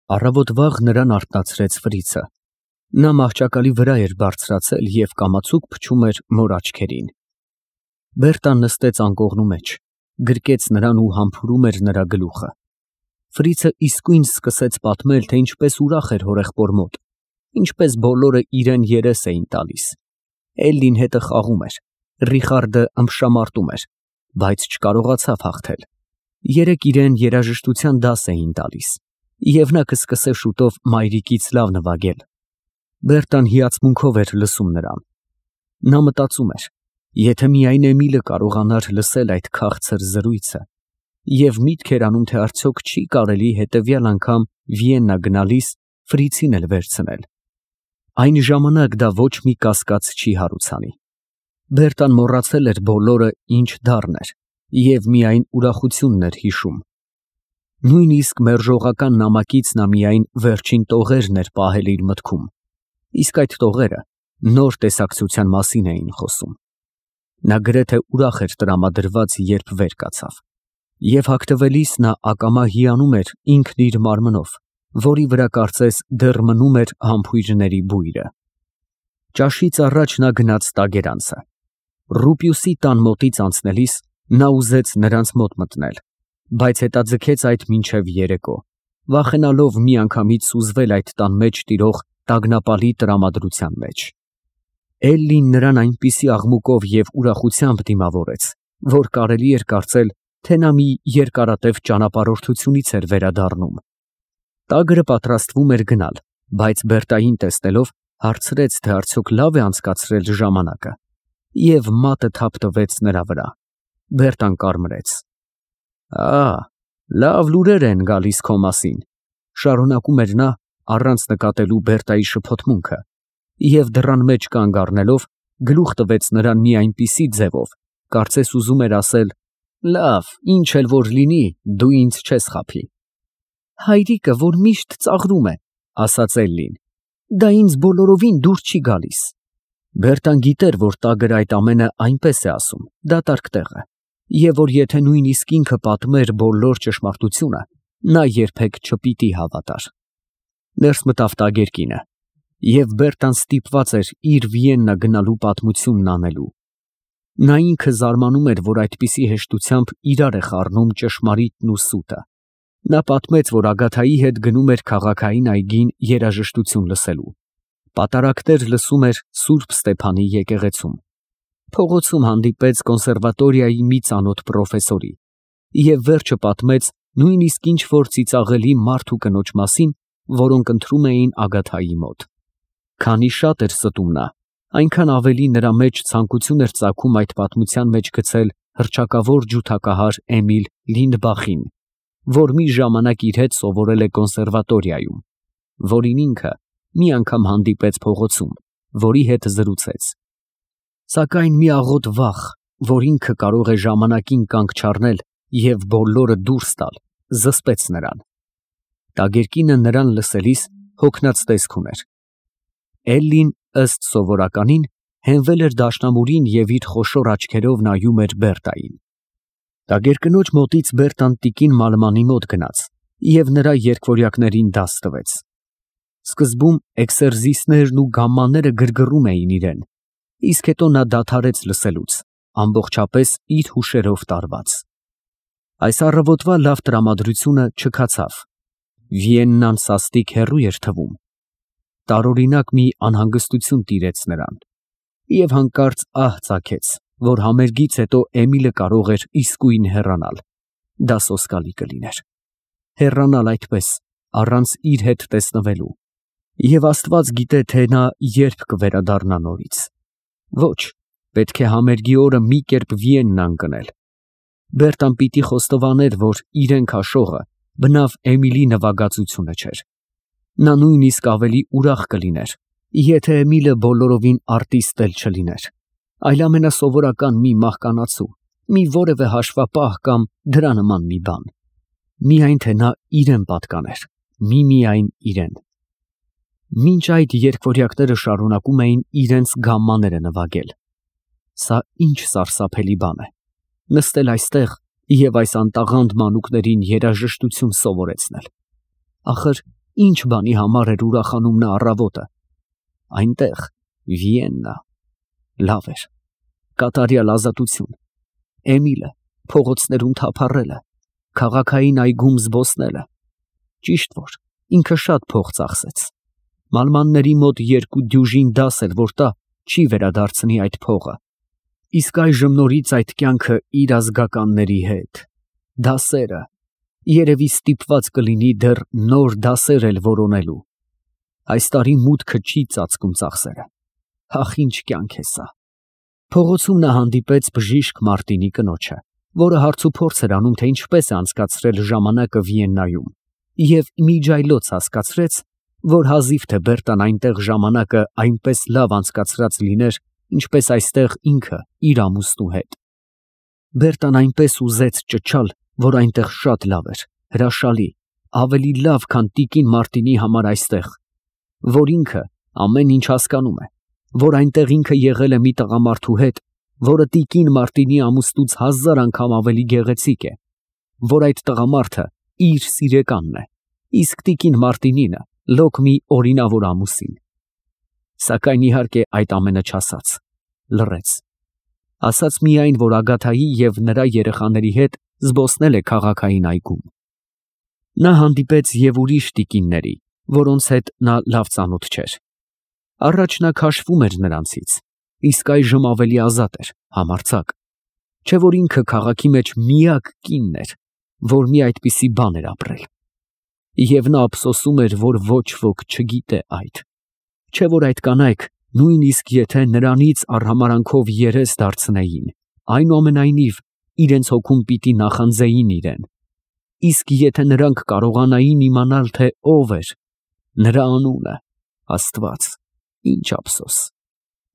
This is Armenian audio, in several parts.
Առավոտ վաղ նրան արթնացրեց Ֆրիցը։ Նա մահճակալի վրա էր բարձրացել և կամացուկ փչում էր մոր աչքերին։ Բերտան նստեց անկողնու մեջ, գրկեց նրան ու համբուրում էր նրա գլուխը։ Ֆրիցը իսկույն սկսեց պատմել, թե ինչպես ուրախ էր հորեղբոր մոտ, ինչպես բոլորը իրեն երես էին տալիս։ Էլլին հետը խաղում էր, Ռիխարդը ըմբշամարտում էր, բայց չկարողացավ հաղթել։ Երեկ իրեն երաժշտության դաս էին տալիս, և նա կսկսե շուտով մայրիկից լավ նվագել։ Բերտան հիացմունքով էր լսում նրան։ Նա մտածում էր, եթե միայն Էմիլը կարողանար լսել այդ քաղցր զրույցը, և միտք էր անում, թե արդյոք չի կարելի հետևյալ անգամ Վիեննա գնալիս Ֆրիցին էլ վերցնել։ Այն ժամանակ դա ոչ մի կասկած չի հարուցանի։ Բերտան մոռացել էր բոլորը, ինչ դառն էր, և միայն ուրախությունն էր հիշում։ Նույնիսկ մերժողական նամակից նա միայն վերջին տողերն էր պահել իր մտքում, իսկ այդ տողերը նոր տեսակցության մասին էին խոսում։ Նա գրեթե ուրախ էր տրամադրված, երբ վեր կացավ, և հագնվելիս նա ակամա հիանում էր ինքն իր մարմնով, որի վրա կարծես դեռ մնում էր համբույրների բույրը։ Ճաշից առաջ նա գնաց Տագերանցը։ Ռուպիուսի տան մոտից անցնելիս նա ուզեց նրանց մոտ մտնել, բայց հետաձգեց այդ մինչև երեկո, վախենալով միանգամից սուզվել այդ տան մեջ տիրող տագնապալի տրամադրության մեջ։ Էլլին նրան այնպիսի աղմուկով և ուրախությամբ դիմավորեց, որ կարելի էր կարծել, թե նա մի երկարատև ճանապարհորդությունից էր վերադառնում։ Տագրը պատրաստվում էր գնալ, բայց Բերտային տեսնելով հարցրեց, թե արդյոք լավ է անցկացրել ժամանակը, և մատը թափ տվեց նրա վրա։ Բերտան կարմրեց։ Լավ լուրեր են գալիս քո մասին, շարունակում էր նա, առանց նկատելու Բերտայի շփոթմունքը, և դռան մեջ կանգ առնելով գլուխ տվեց նրան մի այնպիսի ձևով, կարծես ուզում էր ասել. «Լավ, ինչ էլ որ լինի, դու ինձ չես խաբի»։ Հայրիկը, որ միշտ ծաղրում է, ասաց Էլլին, դա ինձ բոլորովին դուր չի գալիս։ Բերտան գիտեր, որ Տագրը այդ ամենը այնպես է ասում, դատարկ տեղը, և որ եթե նույնիսկ ինքը պատմեր բոլոր ճշմարտությունը, նա երբեք չպիտի հավատար։ Ներս մտավ տագերկինը, և Բերտան ստիպված էր իր Վիեննա գնալու պատմությունն անելու։ Նա ինքը զարմանում էր, որ այդպիսի հեշտությամբ իրար է խառնում ճշմարիտն ու սուտը։ Նա պատմեց, որ Ագաթայի հետ գնում էր քաղաքային այգին երաժշտություն լսելու։ Պատարակներ լսում էր Սուրբ Ստեփանի եկեղեցում։ Փողոցում հանդիպեց կոնսերվատորիայի մի ծանոթ պրոֆեսորի և վերջը պատմեց նույնիսկ ինչ-որ ծիծաղելի մարդ ու կնոջ մասին, որոնք ընթրում էին Ագաթայի մոտ։ Քանի շատ էր ստում նա, այնքան ավելի նրա մեջ ցանկություն էր ծագում այդ պատմության մեջ գցել հռչակավոր ջութակահար Էմիլ Լինդբախին, որ մի ժամանակ իր հետ սովորել է կոնսերվատորիայում, որին ինքը մի անգամ հանդիպեց փողոցում, որի հետ զրուցեց։ Սակայն մի աղոտ վախ, որ ինքը կարող է ժամանակին կանգ չառնել և բոլորը դուրս տալ, զսպեց նրան։ Տագերկինը նրան լսելիս հոգնած տեսք ուներ։ Էլլին, ըստ սովորականին, հենվել էր դաշնամուրին և իր խոշոր աչքերով նայում էր Բերտային։ Տագերկնոջ մոտից Բերտան տիկին Մալմանի մոտ գնաց և նրա երգվորյակներին դաս տվեց։ Սկզբում էքսերզիսներն ու գամմաները գրգռում էին իրեն, իսկ հետո նա դադարեց լսելուց, ամբողջապես իր հուշերով տարված։ Այս առավոտվա լավ տրամադրությունը չքացավ։ Վիեննան սաստիկ հեռու էր թվում։ Տարօրինակ մի անհանգստություն տիրեց նրան, և հանկարծ ահ ծագեց, որ համերգից հետո Էմիլը կարող էր իսկույն հեռանալ։ Դա սոսկալի կլիներ։ Հեռանալ այդպես, առանց իր հետ տեսնվելու։ Եվ Աստված գիտե, թե նա երբ կվերադառնա նորից։ Ոչ, պետք է համերգի օրը մի կերպ Վիեննա ընկնել։ Բերտան պիտի խոստովաներ, որ իրեն քաշողը բնավ Էմիլի նվագածությունը չէր։ Նա նույնիսկ ավելի ուրախ կլիներ, եթե Էմիլը բոլորովին արտիստ էլ չլիներ, այլ ամենասովորական մի մահկանացու, մի որևէ հաշվապահ կամ դրա նման մի բան։ Միայն թե նա իրեն պատկաներ, միմիայն իրեն։ Մինչ այդ երգվորյակները շարունակում էին իրենց գամմաները նվագել։ Սա ինչ սարսափելի բան է, նստել այստեղ և այս անտաղանդ մանուկներին երաժշտություն սովորեցնել։ Ախր Ինչ բանի համար էր ուրախանում նա առավոտը։ Այնտեղ Վիեննա, լավ էր, կատարյալ ազատություն, Էմիլը փողոցներում թափառելը, քաղաքային այգում զբոսնելը։ Ճիշտ որ ինքը շատ փող ծախսեց։ Մալմանների մոտ 2 դյուժին դաս էլ որ տա, չի վերադարձնի այդ փողը։ Իսկ այժմ նորից այդ կյանքը իր ազգականների հետ։ Դասերը, երևի ստիպված կլինի դեռ նոր դասեր էլ որոնելու։ Այս տարի մուտքը չի ծածկում ծախսերը։ Ախ, ինչ կյանք է սա։ Փողոցում նա հանդիպեց բժիշկ Մարտինի կնոջը, որը հարցուփորձ էր անում, թե ինչպես է անցկացրել ժամանակը Վիեննայում, և միջայլոց հասկացրեց, որ հազիվ թե Բերտան այնտեղ ժամանակը այնպես լավ անցկացրած լիներ, ինչպես այստեղ ինքը իր ամուսնու հետ։ Բերտան այնպես ուզեց ճչալ, որ այնտեղ շատ լավ էր, հրաշալի, ավելի լավ, քան տիկին Մարտինի համար այստեղ, որ ինքը ամեն ինչ հասկանում է, որ այնտեղ ինքը եղել է մի տղամարդու հետ, որը տիկին Մարտինի ամուսնուց 1000 անգամ ավելի գեղեցիկ է, որ այդ տղամարդը իր սիրեկանն է, իսկ տիկին Մարտինինը լոկ մի օրինավոր ամուսին։ Սակայն իհարկե այդ ամենը չասաց, լռեց։ Ասաց միայն, որ Ագաթայի և նրա երեխաների հետ զբոսնել է քաղաքային այգում։ Նա հանդիպեց և ուրիշ տիկինների, որոնց հետ նա լավ ծանոթ չէր։ Առաջ նա քաշվում էր նրանցից, իսկ այժմ ավելի ազատ էր, համարձակ, չէ որ ինքը քաղաքի մեջ միակ կինն էր, որ մի այդպիսի բան էր ապրել։ Եվ նա ափսոսում էր, որ ոչ ոք չգիտե այդ, չէ որ այդ կանայք, նույնիսկ եթե նրանից արհամարանքով երես դարձնեին, այնուամենայնիվ իրենց հոգում պիտի նախանձեին իրեն, իսկ եթե նրանք կարողանային իմանալ, թե ով էր, նրա անունը, Աստված,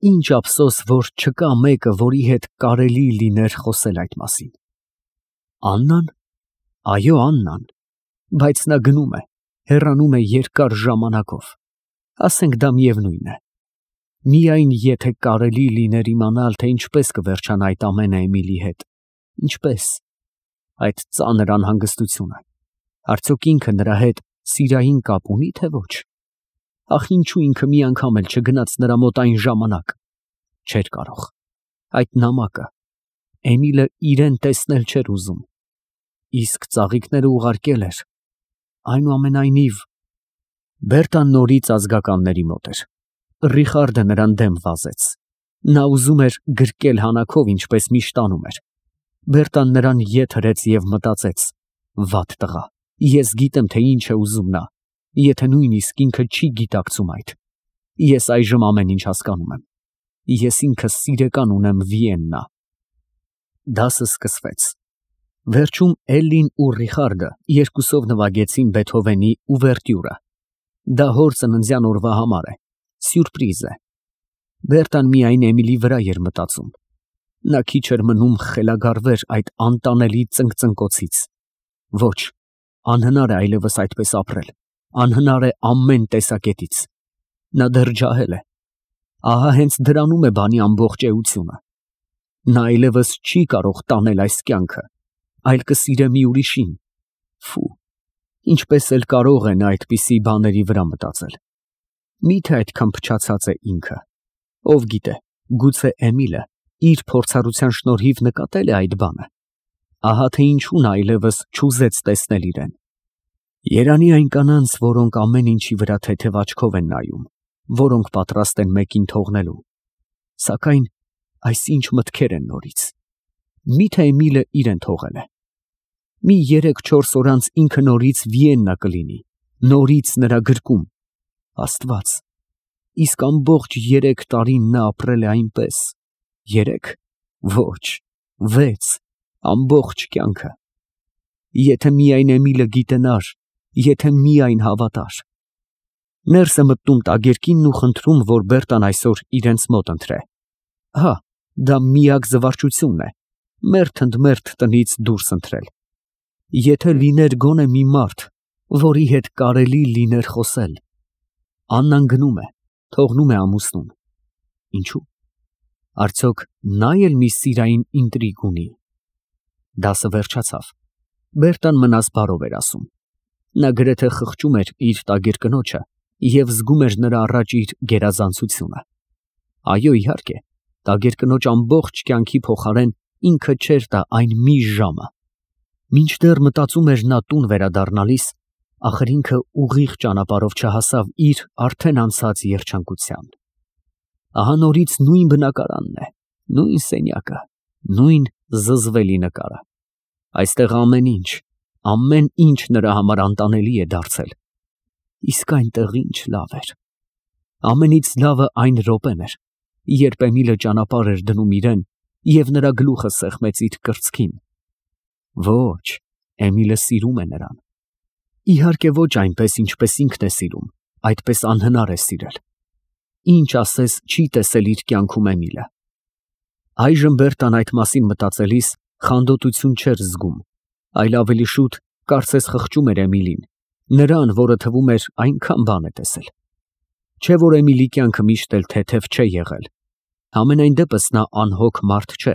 ինչ ափսոս, որ չկա մեկը, որի հետ կարելի լիներ խոսել այդ մասին։ Աննան, այո, Աննան, բայց նա գնում է, հեռանում է երկար ժամանակով, ասենք դա միևնույն է։ Միայն եթե կարելի լիներ իմանալ, թե ինչպես կվերջանա այդ ամենը Էմիլի հետ, ինչպես, այդ ծանր անհանգստությունը, արդյոք ինքը նրա հետ սիրային կապ ունի, թե ոչ։ Ախ, ինչու ինքը մի անգամ էլ չգնաց նրա մոտ այն ժամանակ, չէր կարող, այդ նամակը, Էմիլը իրեն տեսնել չէր ուզում, իսկ ծաղիկները ուղարկել էր, այնուամենայնիվ։ Բերտան նորից ազգականների մոտ էր, Ռիխարդը նրան դեմ վազեց, նա ուզում էր գրկել հանաքով, ինչպես միշտ անում էր։ Բերտան նրան ետ հրեց և մտածեց. վատ տղա, ես գիտեմ, թե ինչ է ուզում նա, եթե նույնիսկ ինքը չի գիտակցում այդ։ Ես այժմ ամեն ինչ հասկանում եմ։ Ես ինքս սիրեկան ունեմ Վիեննա։ Դասը սկսվեց։ Վերջում Էլլին ու Ռիխարդը երկուսով նվագեցին Բեթհովենի ուվերտյուրը։ Դա հոր ծննդյան օրվա համար է, սյուրպրիզ է։ Բերտան միայն Էմիլի վրա էր մտածում։ Նա քիչ էր մնում խելագարվեր այդ անտանելի ծնկծնկոցից։ Ոչ, անհնար է այլևս այդպես ապրել, անհնար է ամեն տեսակետից։ Նա դեռ ջահել է։ Ահա հենց դրանում է բանի ամբողջ էությունը։ Նա այլևս չի կարող տանել այս կյանքը, այլ կսիրե մի ուրիշին։ Ֆու, ինչպես էլ կարող է նա այդպիսի բաների վրա մտածել։ Մի՞թե այդքան փչացած է ինքը։ Ով գիտե, գուցե Էմիլը իր փորձառության շնորհիվ նկատել է այդ բանը։ Ահա թե ինչու նա այլևս չուզեց տեսնել իրեն։ Երանի այն կանանց, որոնք ամեն ինչի վրա թեթև աչքով են նայում, որոնք պատրաստ են մեկին թողնելու։ Սակայն այս ինչ մտքեր են նորից։ Մի՞թե Էմիլը իրեն թողել է։ Մի 3-4 օր անց ինքը նորից Վիեննա կլինի, նորից նրա գրկում։ Աստված, իսկ ամբողջ 3 տարին նա ապրել է այնպես։ 3, ոչ, 6, ամբողջ կյանքը։ Եթե միայն Էմիլը գիտենար, եթե միայն հավատար։ Ներս է մտնում տագերքինն ու խնդրում, որ Բերտան այսօր իրենց մոտ ընտրե։ Հա, դա միակ զվարճությունն է, մերթ ընդ մերթ տնից դուրս ընտրել։ Եթե լիներ գոնե մի մարդ, որի հետ կարելի լիներ խոսել։ Աննան գնում է, թողնում է ամուսնուն։ Ինչու՞։ Արդյոք նա էլ մի սիրային ինտրիգ ունի։ Դասը վերջացավ։ Բերտան մնաս բարով էր ասում։ Նա գրեթե խղճում էր իր տագիր կնոջը և զգում էր նրա առաջ իր գերազանցությունը։ Այո, իհարկե, տագիր կնոջ ամբողջ կյանքի փոխարեն ինքը չէր տա այն մի ժամը։ Մինչդեռ մտածում էր նա տուն վերադառնալիս, ախր ինքը ուղիղ ճանապարհով չհասավ իր արդեն անցած երջանկության։ Ահա նորից նույն բնակարանն է, նույն սենյակը, նույն զզվելի նկարը։ Այստեղ ամեն ինչ նրա համար անտանելի է դարձել։ Իսկ այնտեղ ինչ լավ էր։ Ամենից լավը այն րոպեն էր, երբ Էմիլը ճանապարհ էր դնում իրեն և նրա գլուխը սեղմեց իր կրծքին։ Ոչ, Էմիլը սիրում է նրան։ Իհարկե ոչ այնպես, ինչպես ինքն է սիրում, այդպես անհնար է սիրել։ Ինչ ասես չի տեսել իր կյանքում Էմիլը։ Այժմ Բերտան այդ մասին մտածելիս խանդոտություն չէր զգում, այլ ավելի շուտ կարծես խղճում էր Էմիլին, նրան, որը թվում էր այնքան բան է տեսել։ Չէ որ Էմիլի կյանքը միշտ էլ թեթև չէ եղել։ Համենայն դեպս նա անհոգ մարդ չէ։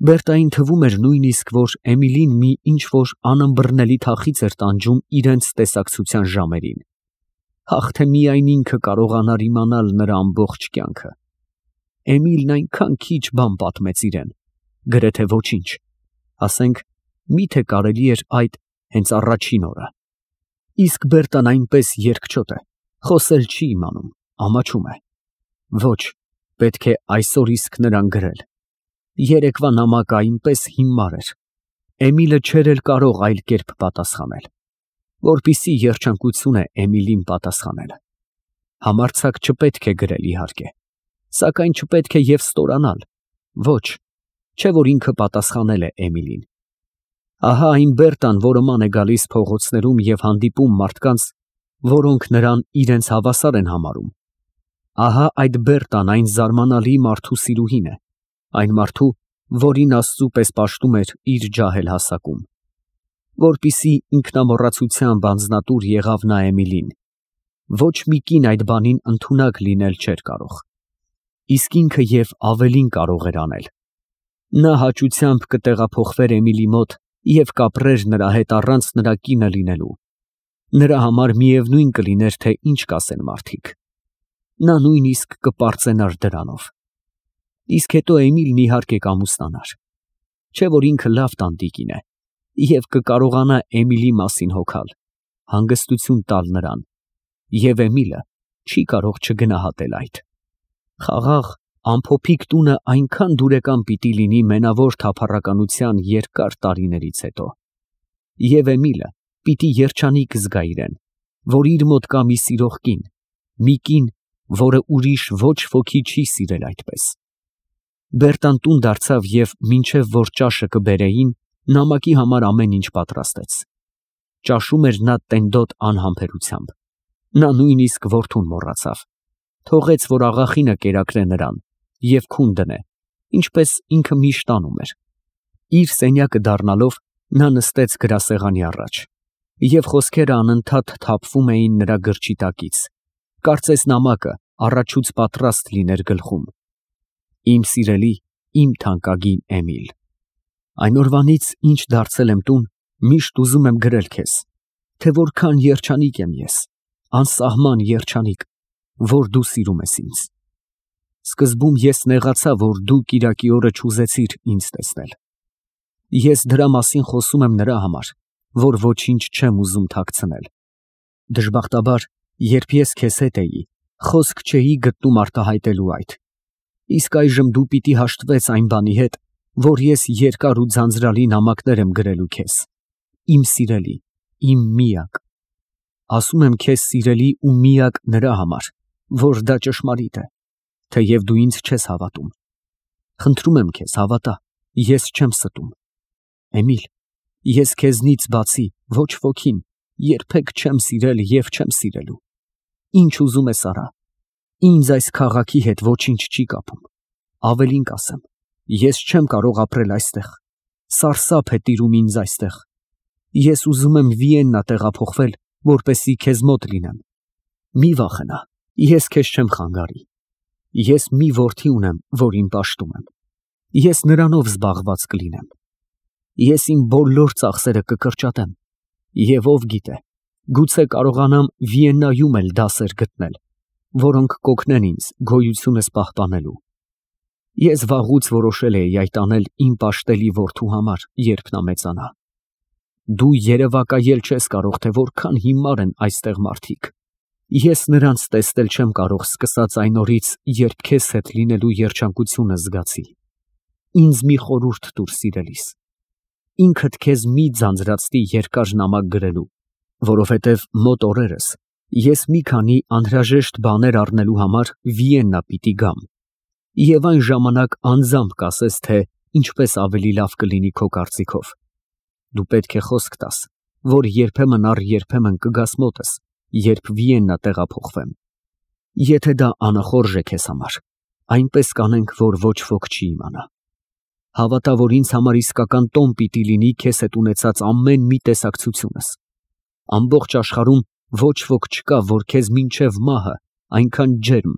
Բերտային թվում էր նույնիսկ, որ Էմիլին մի ինչ-որ անըմբռնելի թախիծ էր տանջում իրենց տեսակցության ժամերին։ Հաղ թե միայն ինքը կարողանար իմանալ նրա ամբողջ կյանքը։ Էմիլն այնքան քիչ բան պատմեց իրեն, գրեթե ոչինչ, ասենք, միթե կարելի էր այդ հենց առաջին օրը։ Իսկ Բերտան այնպես երկչոտ է, խոսել չի իմանում, ամաչում է։ Ոչ, պետք է այսօր իսկ նրան գրել։ Երեկվա նամակը այնպես հիմար էր։ Էմիլը չէր էլ կարող այլ կերպ պատասխանել։ Որպիսի երջանկություն է Էմիլին պատասխանել։ Համարձակ չպետք է գրել, իհարկե, սակայն չպետք է և ստորանալ։ Ոչ, չէ որ ինքը պատասխանել է Էմիլին։ Ահա այն Բերտան, որը ման է գալիս փողոցներում և հանդիպում մարդկանց, որոնք նրան իրենց հավասար են համարում։ Ահա այդ Բերտան այն զարմանալի մարդու սիրուհին է, այն մարդու, որին Աստծու պես պաշտում էր իր ջահել հասակում։ Որպիսի ինքնամոռացությամբ անձնատուր եղավ նա Էմիլին։ Ոչ մի կին այդ բանին ընդունակ լինել չէր կարող։ Իսկ ինքը և ավելին կարող էր անել։ Նա հաճությամբ կտեղափոխվեր Էմիլի մոտ և կապրեր նրա հետ առանց նրա կինը լինելու։ Նրա համար միևնույն կլիներ, թե ինչ կասեն մարդիկ։ Նա նույնիսկ կպարծենար դրանով։ Իսկ հետո Էմիլն իհարկե կամուսնանար։ Չէ որ ինքը լավ տանտիկին է և կկարողանա Էմիլի մասին հոգալ, հանգստություն տալ նրան, և Էմիլը չի կարող չգնահատել այդ։ Խաղաղ, ամփոփիկ տունը այնքան դուրեկան պիտի լինի մենավոր թափառականության երկար տարիներից հետո։ Եվ Էմիլը պիտի երջանիկ զգա իրեն, որ իր մոտ կա մի սիրող կին, մի կին, որը ուրիշ ոչ ոքի չի սիրել այդպես։ Բերտան տուն դարձավ և մինչև որ ճաշը կբերեին, նամակի համար ամեն ինչ պատրաստեց։ Ճաշում էր նա տենդոտ անհամբերությամբ։ Նա նույնիսկ որդուն մոռացավ։ Թողեց, որ աղախինը կերակրե նրան և քուն դնե, ինչպես ինքը միշտ անում էր։ Իր սենյակը դառնալով, նա նստեց գրասեղանի առաջ, և խոսքերը անընդհատ թափվում էին նրա գրճի տակից, կարծես նամակը առաջուց պատրաստ լիներ գլխում։ Իմ սիրելի, իմ թանկագին Էմիլ, այն օրվանից, ինչ դարձել եմ տուն, միշտ ուզում եմ գրել քեզ, թե որքան երջանիկ եմ ես, անսահման երջանիկ, որ դու սիրում ես ինձ։ Սկզբում ես նեղացա, որ դու կիրակի օրը չուզեցիր ինձ տեսնել։ Ես դրա մասին խոսում եմ նրա համար, որ ոչինչ չեմ ուզում թաքցնել։ Դժբախտաբար, երբ ես քեզ հետ էի, խոսք չէի գտնում արտահայտելու այդ։ Իսկ այժմ դու պիտի հաշտվես այն բանի հետ, որ ես երկար ու ձանձրալի նամակներ եմ գրելու քեզ, իմ սիրելի, իմ միակ։ Ասում եմ քեզ սիրելի ու միակ նրա համար, որ դա ճշմարիտ է, թեև դու ինձ չես հավատում։ Խնդրում եմ քեզ, հավատա, ես չեմ ստում։ Էմիլ, ես քեզնից բացի ոչ ոքին երբեք չեմ սիրել և չեմ սիրելու։ Ինչ ուզում ես արա։ Ինձ այս քաղաքի հետ ոչինչ չի կապում։ Ավելին կասեմ, ես չեմ կարող ապրել այստեղ։ Սարսափ է տիրում ինձ այստեղ։ Ես ուզում եմ Վիեննա տեղափոխվել, որպեսզի քեզ մոտ լինեմ։ Մի վախենա, ես քեզ չեմ խանգարի։ Ես մի որդի ունեմ, որին պաշտում եմ։ Ես նրանով զբաղված կլինեմ։ Ես իմ բոլոր ծախսերը կկրճատեմ, և ով գիտե, Գուցե կարողանամ Վիեննայում էլ դասեր գտնել, որոնք կօգնեն ինձ գոյությունս պահպանելու։ Ես վաղուց որոշել էի այդ անել իմ պաշտելի որդու համար, երբ նա մեծանա։ Դու երևակայել չես կարող, թե որքան հիմար են այստեղ մարդիկ։ Ես նրանց տեսնել չեմ կարող սկսած այն օրից, երբ քեզ հետ լինելու երջանկությունը զգացի։ Ինձ մի խորհուրդ տուր, սիրելիս։ Ինքդ քեզ մի ձանձրացնի երկար նամակ գրելու, որովհետև մոտ օրերս ես մի քանի անհրաժեշտ բաներ առնելու համար Վիեննա պիտի գամ, և այն ժամանակ անձամբ կասես, թե ինչպես ավելի լավ կլինի քո կարծիքով։ Դու պետք է խոսք տաս, որ երբեմն առ երբեմն կգաս մոտս, երբ Վիեննա տեղափոխվեմ։ Եթե դա անախորժ է քեզ համար, այնպես կանենք, որ ոչ ոք չի իմանա։ Հավատա, որ ինձ համար իսկական տոն պիտի լինի քեզ հետ ունեցած ամեն մի տեսակցությունս։ Ամբողջ աշխարհում ոչ ոք չկա, որ քեզ մինչև մահը այնքան ջերմ,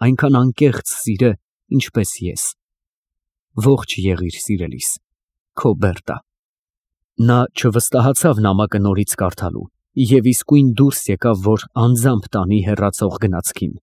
այնքան անկեղծ սիրե, ինչպես ես։ Ողջ եղիր, սիրելիս, քո Բերտա։ Նա չվստահացավ նամակը նորից կարդալու և իսկույն դուրս եկավ, որ անձամբ տանի հեռացող գնացքին։